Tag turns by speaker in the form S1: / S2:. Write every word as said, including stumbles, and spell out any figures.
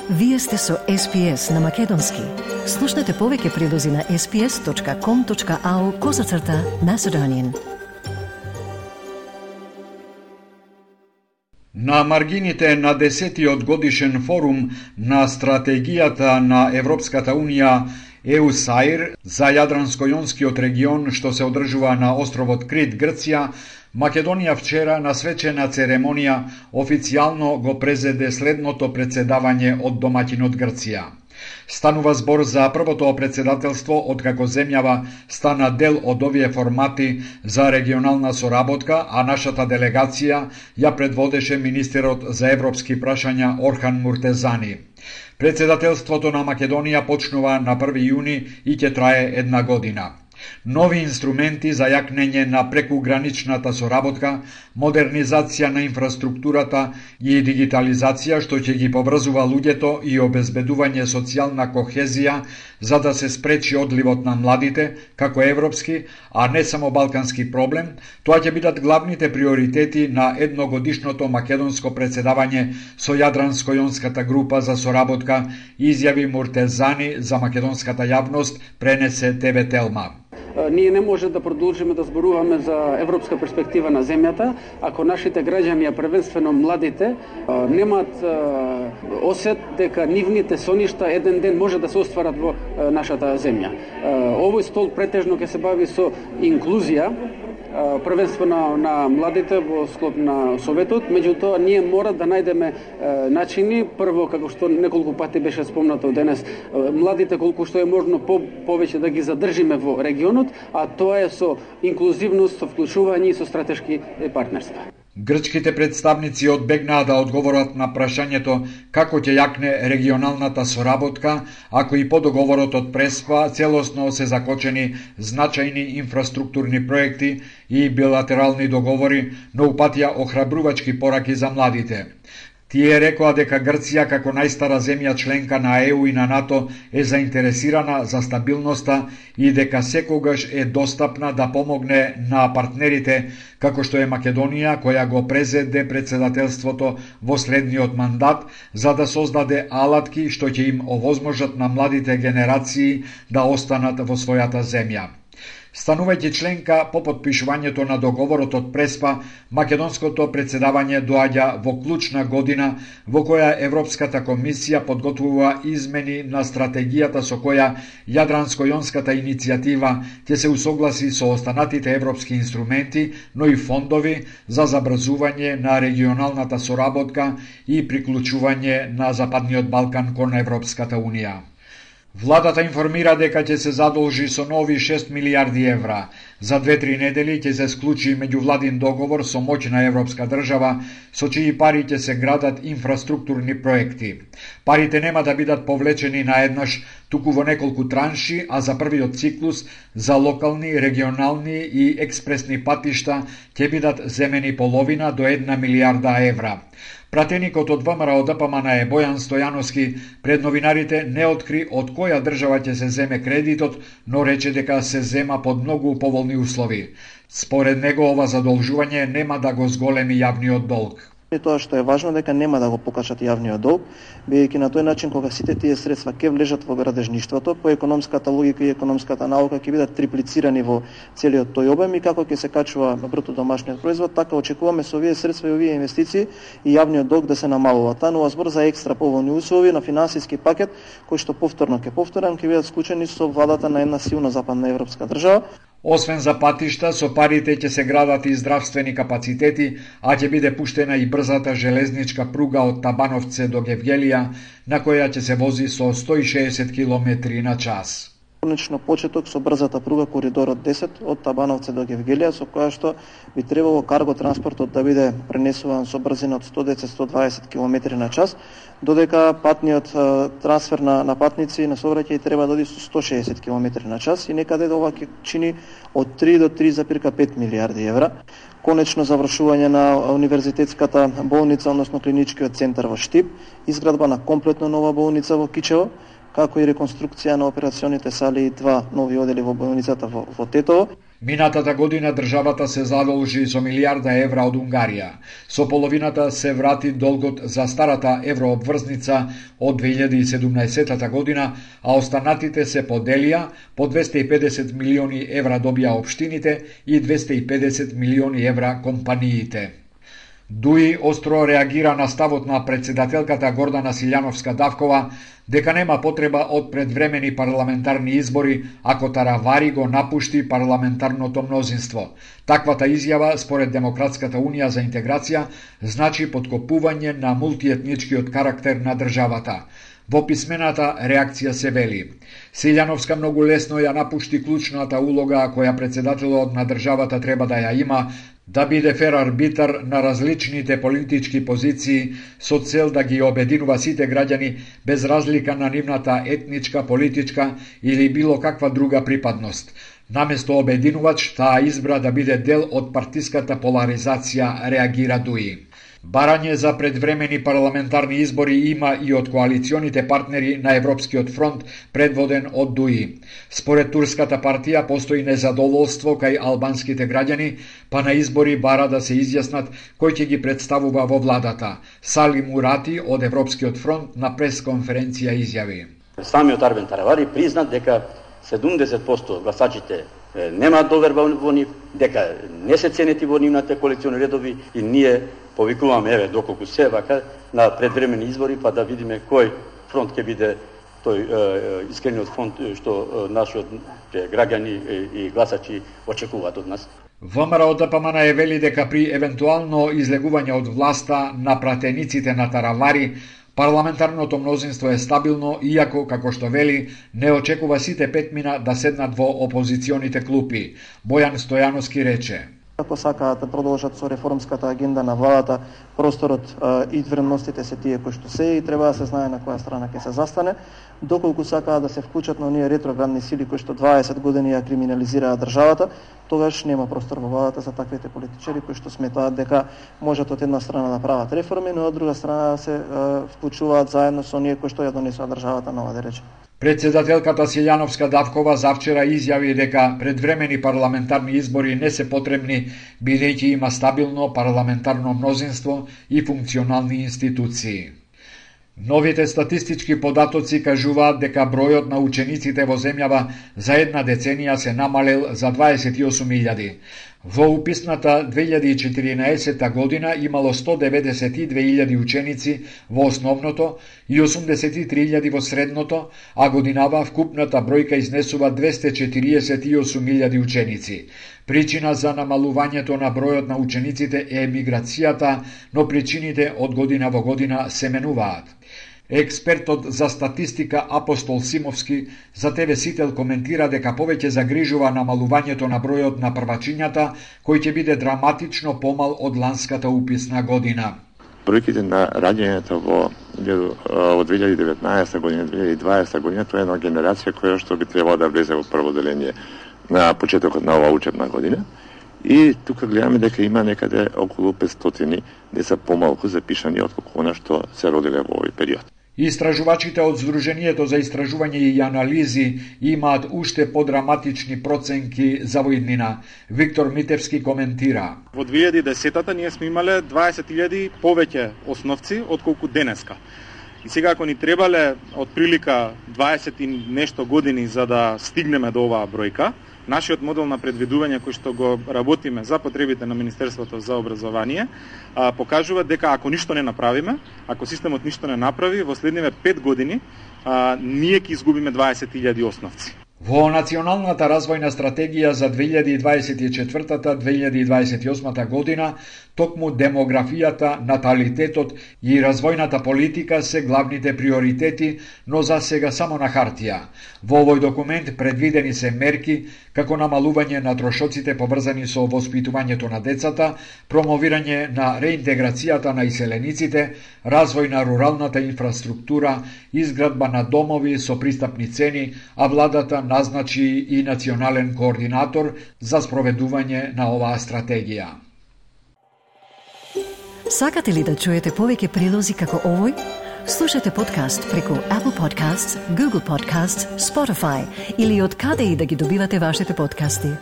S1: Вие сте со Ес Пи Ес на Македонски. Слушнете повеќе прилози на ес пи ес точка ком точка ау козацрта Macedonian.
S2: На маргините на десетиот годишен форум на стратегијата на Европската Унија ЕУСАИР за Јадранско-Јонскиот регион што се одржува на островот Крит, Грција, Македонија вчера на свечена церемонија официјално го презеде следното председавање од домаќинот Грција. Станува збор за првото председателство откако земјава стана дел од овие формати за регионална соработка, а нашата делегација ја предводеше министерот за европски прашања Орхан Муртезани. Председателството на Македонија почнува на први јуни и ќе трае една година. Нови инструменти за јакнење на прекуграничната соработка, модернизација на инфраструктурата и дигитализација што ќе ги поврзува луѓето и обезбедување социјална кохезија за да се спречи одливот на младите, како европски, а не само балкански проблем, тоа ќе бидат главните приоритети на едногодишното македонско председавање со Јадранско-Јонската група за соработка, изјави Муртезани за македонската јавност, пренесе Те Ве Телма.
S3: Ние не може да продолжиме да зборуваме за европска перспектива на земјата ако нашите граѓани, а првенствено младите, немаат осет дека нивните соништа еден ден може да се остварат во нашата земја. Овој стол претежно ќе се бави со инклузија, првенствено на младите во склоп на Советот, меѓутоа ние мора да најдеме начини, прво како што неколку пати беше спомнато денес, младите колку што е можно по, повеќе да ги задржиме во регионот, а тоа е со инклузивност, со вклучување и со стратешки партнерства.
S2: Грчките представници одбегнаа да одговорат на прашањето како ќе јакне регионалната соработка, ако и по договорот од Преспа целосно се закочени значајни инфраструктурни проекти и билатерални договори, но упатија охрабрувачки пораки за младите. Тие рекоа дека Грција како најстара земја членка на Е У и на НАТО е заинтересирана за стабилноста и дека секогаш е достапна да помогне на партнерите како што е Македонија, која го презеде председателството во следниот мандат за да создаде алатки што ќе им овозможат на младите генерации да останат во својата земја. Станувајќи членка по потпишувањето на договорот од Преспа, македонското председавање доаѓа во клучна година во која Европската комисија подготвува измени на стратегијата со која Јадранско-Јонската иницијатива ќе се усогласи со останатите европски инструменти, но и фондови за забрзување на регионалната соработка и приклучување на Западниот Балкан кон Европската Унија. Владата информира дека ќе се задолжи со нови шест милијарди евра. За две-три недели ќе се склучи меѓувладин договор со моќна европска држава, со чии пари ќе се градат инфраструктурни проекти. Парите нема да бидат повлечени наеднаш, туку во неколку транши, а за првиот циклус за локални, регионални и експресни патишта ќе бидат земени половина до една милијарда евра. Пратеникот од Вэ Ем Р О Д П М Н Е Бојан Стојановски пред новинарите не откри од која држава ќе се земе кредитот, но рече дека се зема под многу поволни услови. Според него ова задолжување нема да го зголеми јавниот долг.
S4: И тоа што е важно дека нема да го покачат јавниот долг, бидејќи на тој начин кога сите тие средства ќе влежат во градежништвото, по економската логика и економската наука ќе бидат триплицирани во целиот тој обем и како ќе се качува бруто домашниот производ, така очекуваме со овие средства и овие инвестиции и јавниот долг да се намалува. Станува збор за екстра поволни услови на финансиски пакет кој што повторно ќе повторам ќе бидат склучени со владата на една силна западна европска држава.
S2: Освен за патишта, со парите ќе се градат и здравствени капацитети, а ќе биде пуштена и брзата железничка пруга од Табановце до Гевгелија, на која ќе се вози со сто и шеесет километри на час.
S4: Конечно почеток со брзата пруга коридорот десет од Табановце до Гевгелија, со која што би требало карго транспортот да биде пренесуван со брзина од сто десет до сто дваесет километри на час, додека патниот трансфер на, на патници и на сообраќај треба да оди со сто шеесет километри на час и некаде ова ќе чини од три до три зарез пет милијарди евра. Конечно завршување на универзитетската болница, односно клиничкиот центар во Штип, изградба на комплетно нова болница во Кичево, како и реконструкција на операционите сали и два нови одели во болницата во, во Тетово.
S2: Минатата година државата се задолжи со милиарда евра од Унгарија. Со половината се врати долгот за старата еврообврзница од две илјади и седумнаесетта година, а останатите се поделија, по двесте и педесет милиони евра добија општините и двесте и педесет милиони евра компаниите. Дуи остро реагира на ставот на председателката Гордана Силјановска-Давкова дека нема потреба од предвремени парламентарни избори ако Таравари го напушти парламентарното мнозинство. Таквата изјава, според Демократската унија за интеграција, значи подкопување на мултиетничкиот карактер на државата. Во писмената реакција се вели: Силјановска многу лесно ја напушти клучната улога која председателот на државата треба да ја има, да биде фер арбитар на различните политички позиции со цел да ги обединува сите граѓани без разлика на нивната етничка, политичка или било каква друга припадност. Наместо обединувач, таа избра да биде дел од партиската поларизација, реагира Дуи. Барање за предвремени парламентарни избори има и од коалиционите партнери на Европскиот фронт, предводен од Дуи. Според турската партија постои незадоволство кај албанските граѓани, па на избори бара да се изјаснат кој ќе ги представува во владата. Сали Мурати од Европскиот фронт на пресконференција изјави:
S5: Самиот Арбен Таравари призна дека седумдесет проценти гласачите немаат доверба во нив, дека не се ценети во нивните коалициони редови и ние повикуваме, еве, доколку се вака, на предвремени избори, па да видиме кој фронт ќе биде тој е, искрениот фронт што нашиот граѓани и гласачи очекуваат од нас.
S2: ВМРО Д П М Н е вели дека при евентуално излегување од власта на пратениците на Таравари, парламентарното мнозинство е стабилно, иако, како што вели, не очекува сите петмина да седнат во опозиционите клупи. Бојан Стојановски рече:
S4: Ако сакаат да продолжат со реформската агенда на владата, просторот а, и вредностите се тие кои што се и треба да се знае на која страна ќе се застане. Доколку сакаат да се вклучат на оние ретроградни сили кои што дваесет години ја криминализираат државата, тогаш нема простор во владата за таквите политичари кои што сметаат дека можат од една страна да прават реформи, но од друга страна да се а, вклучуваат заедно со оние кои што ја донесоа државата нова, да рече.
S2: Председателката Силјановска-Давкова завчера изјави дека предвремени парламентарни избори не се потребни, бидејќи има стабилно парламентарно мнозинство и функционални институции. Новите статистички податоци кажуваат дека бројот на учениците во земјава за една деценија се намалел за дваесет и осум илјади. Во уписната две илјади и четиринаесетта година имало сто деведесет и две илјади ученици во основното и осумдесет и три илјади во средното, а годинава вкупната бројка изнесува двесте четириесет и осум илјади ученици. Причина за намалувањето на бројот на учениците е емиграцијата, но причините од година во година се менуваат. Експертот за статистика Апостол Симовски за Те Ве Сител коментира дека повеќе загрижува намалувањето на бројот на првачињата, кој ќе биде драматично помал од ланската уписна година.
S6: Бројките на раѓањето во од две илјади и деветнаесетта година, две илјади и дваесетта година, тоа е една генерација која што би требало да влезе во прво деление на почетокот на оваа учебна година. И тука гледаме дека има некаде околу петстотини деца помалку запишани отколку она што се родиле во овој период.
S2: Истражувачите од Сдруженијето за истражување и анализи имаат уште подраматични проценки за во иднина. Виктор Митевски коментира:
S7: Во две илјади и десетта ние сме имале дваесет илјади повеќе основци отколку денеска. И сега ако ни требале од прилика дваесет и нешто години за да стигнеме до оваа бројка, нашиот модел на предвидување кој што го работиме за потребите на Министерството за образование покажува дека ако ништо не направиме, ако системот ништо не направи, во следниве пет години а, ние ќе изгубиме дваесет илјади основци.
S2: Во Националната развојна стратегија за две илјади и дваесет и четвртата - две илјади и дваесет и осмата година, токму демографијата, наталитетот и развојната политика се главните приоритети, но за сега само на хартија. Во овој документ предвидени се мерки како намалување на трошоците поврзани со воспитувањето на децата, промовирање на реинтеграцијата на иселениците, развој на руралната инфраструктура, изградба на домови со пристапни цени, а владата назначи и национален координатор за спроведување на оваа стратегија.
S1: Сакате ли да чуете повеќе прилози како овој? Слушате подкаст преку Apple Podcasts, Google Podcasts, Spotify или од каде и да ги добивате вашите подкасти.